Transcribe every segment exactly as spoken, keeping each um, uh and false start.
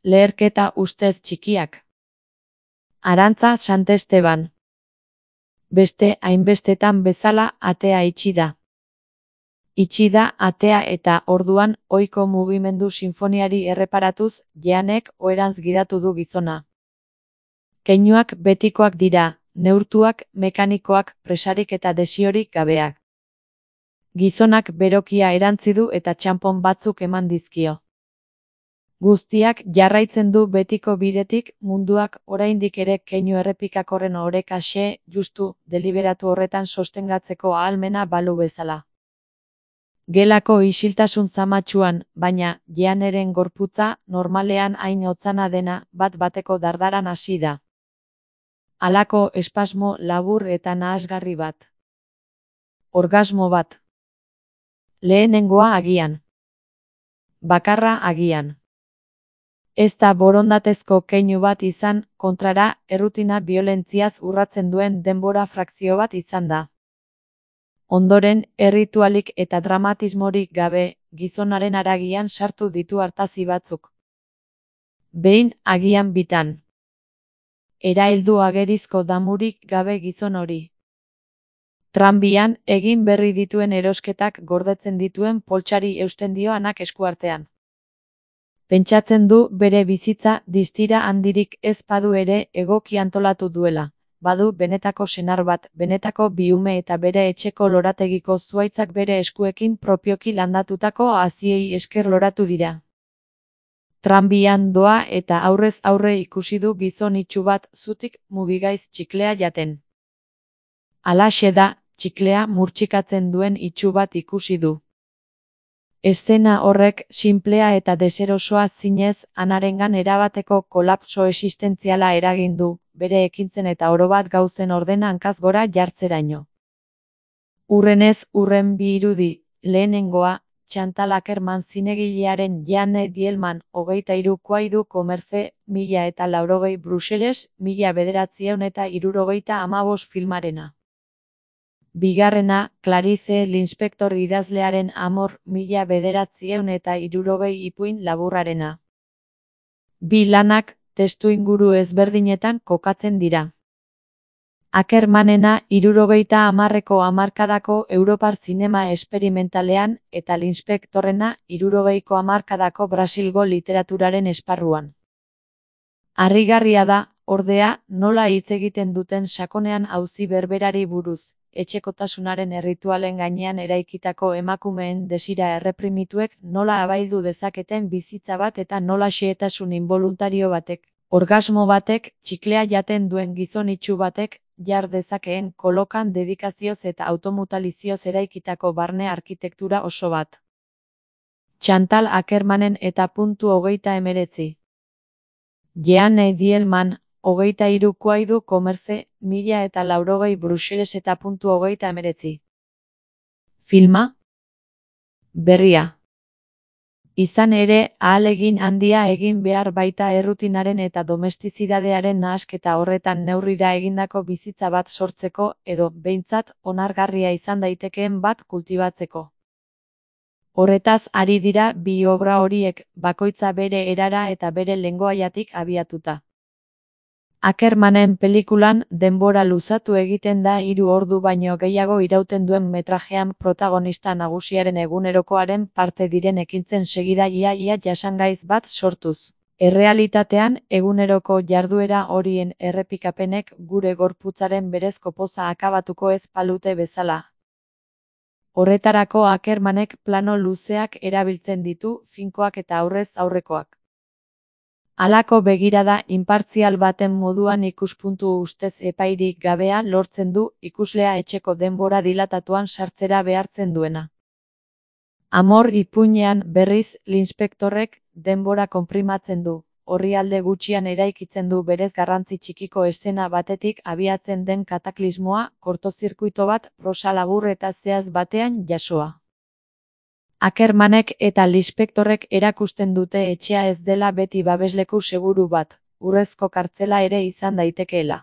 Leherketa ustez txikiak. Arantza Santesteban. Beste hainbestetan bezala atea itxi da. Itxi da atea eta orduan ohiko mugimendu sinfoniari erreparatuz Jeanek oherantz gidatu du gizona. Keinuak betikoak dira, neurtuak, mekanikoak, presarik eta desiorik gabeak. Gizonak berokia erantzi du eta txanpon batzuk eman dizkio. Guztiak jarraitzen du betiko bidetik, munduak oraindik ere keinu errepikakorren oreka xe, justu, deliberatu horretan sostengatzeko ahalmena balu bezala. Gelako isiltasun zamatsuan, baina, Jeaneren gorputza, normalean hain otzana dena, bat-bateko dardaran hasi da. Halako espasmo labur eta nahasgarri bat. Orgasmo bat. Lehenengoa agian. Bakarra agian. Ez da borondatezko keinu bat izan, kontrara, errutina biolentziaz urratzen duen denbora frakzio bat izan da. Ondoren, erritualik eta dramatismorik gabe, gizonaren haragian sartu ditu artazi batzuk. Behin, agian bitan. Eraheldu agerizko damurik gabe gizon hori. Tranbian, egin berri dituen erosketak gordetzen dituen poltsari eusten dio anak eskuartean. Pentsatzen du bere bizitza distira handirik ez badu ere egoki antolatu duela. Badu benetako senar bat, benetako biume eta bere etxeko lorategiko zuhaitzak bere eskuekin propioki landatutako haziei esker loratu dira. Tranbian doa eta aurrez aurre ikusi du gizon itsu bat zutik mugigaiz txiklea jaten. Halaxe da, txiklea murtsikatzen duen itsu bat ikusi du. Eszena horrek sinplea eta deserosoa zinez anarengan erabateko kolapso existentziala eragin du, bere ekintzen eta orobat gauzen ordena hankaz gora jartzeraino. Hurrenez hurren bi irudi, lehenengoa, Chantal Akerman zinegilearen Jeanne Dielman, hogeita hiru Kuaidu Komerze, mila eta laurogei Bruseles, mila bederatziehun eta hirurogeita hamabost filmarena. Bigarrena, Clarice Linspector idazlearen Amor, mila bederatziehun eta hirurogei ipuin laburrarena. Bi lanak, testuinguru ezberdinetan kokatzen dira. Akermanena hirurogeita hamarreko hamarkadako Europar zinema esperimentalean eta Linspectorrena hirurogeiko hamarkadako Brasilgo literaturaren esparruan. Harrigarria da, ordea, nola hitz egiten duten sakonean auzi berberari buruz. Etxekotasunaren erritualen gainean eraikitako emakumeen desira erreprimituek nola abaildu dezaketen bizitza bat eta nola xehetasun inboluntario batek, orgasmo batek, txiklea jaten duen gizon itsu batek, jar dezakeen kolokan dedikazioz eta automutalizioz eraikitako barne arkitektura oso bat. Chantal Akermanen eta puntu hogeita emeretzi. Jeanne Dielman, hogeita hiru Kuaidu Komerze, mila eta laurogei Bruseles eta puntu hogeita emeretzi. Filma? Berria. Izan ere, ahalegin handia egin behar baita errutinaren eta domestizidadearen nahasketa horretan neurrira egindako bizitza bat sortzeko edo, behintzat, onargarria izan daitekeen bat kultibatzeko. Horretaz ari dira bi obra horiek, bakoitza bere erara eta bere lengoaiatik abiatuta. Akermanen pelikulan denbora luzatu egiten da hiru ordu baino gehiago irauten duen metrajean protagonista nagusiaren egunerokoaren parte diren ekintzen segida ia-ia jasangaiz bat sortuz. Errealitatean, eguneroko jarduera horien errepikapenek gure gorputzaren berezko poza akabatuko ez palute bezala. Horretarako Akermanek plano luzeak erabiltzen ditu, finkoak eta aurrez aurrekoak. Halako begirada inpartzial baten moduan ikuspuntu ustez epairik gabea lortzen du ikuslea etxeko denbora dilatatuan sartzera behartzen duena. Amor ipuinean berriz Linspectorrek denbora konprimatzen du, orrialde gutxian eraikitzen du berez garrantzi txikiko eszena batetik abiatzen den kataklismoa, kortozirkuito bat, prosa labur eta zehaz batean jasoa. Akermanek eta Linspectorrek erakusten dute etxea ez dela beti babesleku seguru bat, urrezko kartzela ere izan daitekeela.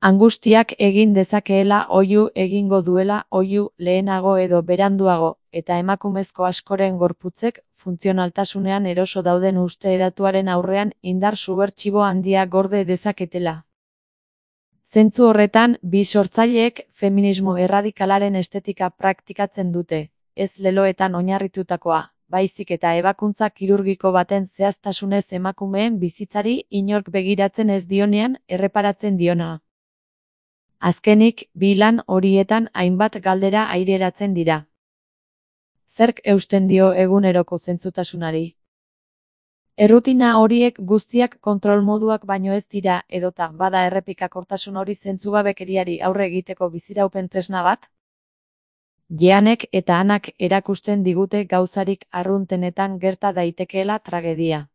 Angustiak egin dezakeela oihu egingo duela oihu lehenago edo beranduago, eta emakumezko askoren gorputzek funtzionaltasunean eroso dauden uste eratuaren aurrean indar subertsibo handia gorde dezaketela. Zentzu horretan, bi sortzaileek feminismo erradikalaren estetika praktikatzen dute, ez leloetan oinarritutakoa, baizik eta ebakuntza kirurgiko baten zehaztasunez emakumeen bizitzari inork begiratzen ez dionean erreparatzen diona. Azkenik, bi lan horietan hainbat galdera aireratzen dira. Zerk eusten dio eguneroko zentzutasunari? Errutina horiek guztiak kontrol moduak baino ez dira edota bada errepikakortasun hori zentzugabekeriari aurre egiteko biziraupen tresna bat? Jeanek eta Anak erakusten digute gauzarik arruntenetan gerta daitekeela tragedia.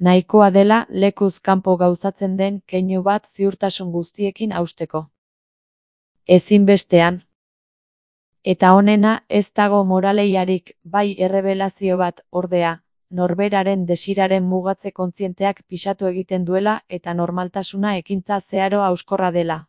Nahikoa dela lekuz kanpo gauzatzen den keinu bat ziurtasun guztiekin hausteko. Ezinbestean. Eta honena ez dago moraleiarik, bai errebelazio bat, ordea, norberaren desiraren mugatze kontzienteak pisatu egiten duela eta normaltasuna ekintza zeharo hauskorra dela.